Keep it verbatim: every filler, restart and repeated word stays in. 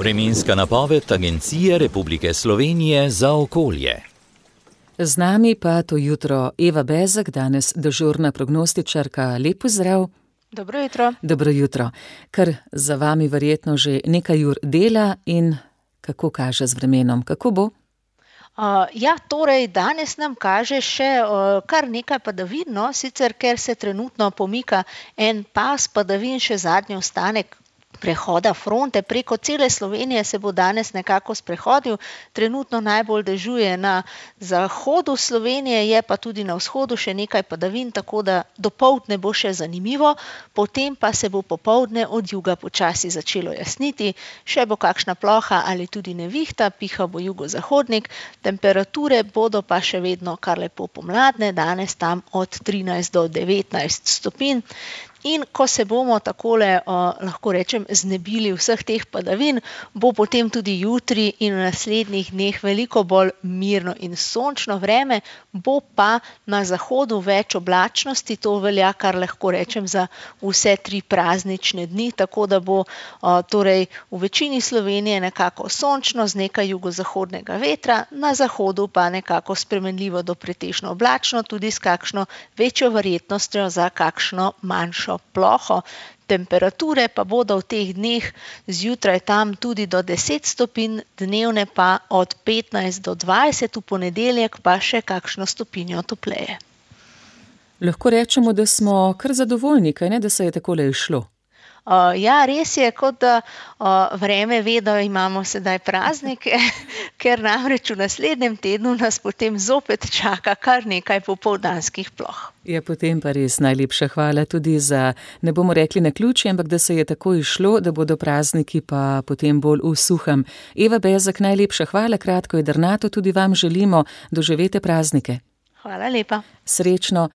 Vremenska napoved Agencije Republike Slovenije za okolje. Z nami pa to jutro Eva Bezek, danes dežurna prognostičarka. Lep pozdrav. Dobro jutro. Dobro jutro. Kar za vami verjetno že nekaj ur dela in kako kaže z vremenom, kako bo? Uh, ja, torej danes nam kaže še uh, kar nekaj padavin, no, sicer ker se trenutno pomika en pas padavin, še zadnji ostanek prehoda fronte preko cele Slovenije se bo danes nekako sprehodil. Trenutno najbolj dežuje na zahodu Slovenije, je pa tudi na vzhodu še nekaj padavin, tako da dopoldne bo še zanimivo, potem pa se bo popoldne od juga počasi začelo jasniti, še bo kakšna ploha ali tudi nevihta, piha bo jugozahodnik, temperature bodo pa še vedno kar lepo pomladne, danes tam od trinajst do devetnajst stopinj. In ko se bomo takole, uh, lahko rečem, znebili vseh teh padavin, bo potem tudi jutri in v naslednjih dneh veliko bolj mirno in sončno vreme, bo pa na zahodu več oblačnosti, to velja kar lahko rečem za vse tri praznične dni, tako da bo uh, torej v večini Slovenije nekako sončno z nekaj jugozahodnega vetra, na zahodu pa nekako spremenljivo do pretežno oblačno, tudi s kakšno večjo verjetnostjo za kakšno manjšo ploho. Temperature pa bodo v teh dneh zjutraj tam tudi do deset stopinj, dnevne pa od petnajst do dvajset, v ponedeljek pa še kakšno stopinjo topleje. Lahko rečemo, da smo kar zadovoljni, kaj ne, da se je takole išlo? Uh, ja, res je, kot da uh, vreme ve, da imamo sedaj praznike, ker namreč v naslednjem tednu nas potem zopet čaka kar nekaj popoldanskih ploh. Je potem pa res najlepša hvala tudi za, ne bomo rekli naključje, ampak da se je tako išlo, da bodo prazniki pa potem bolj v suhem. Eva Bezek, najlepša hvala, kratko jedrnato tudi vam želimo, doživete praznike. Hvala lepa. Srečno.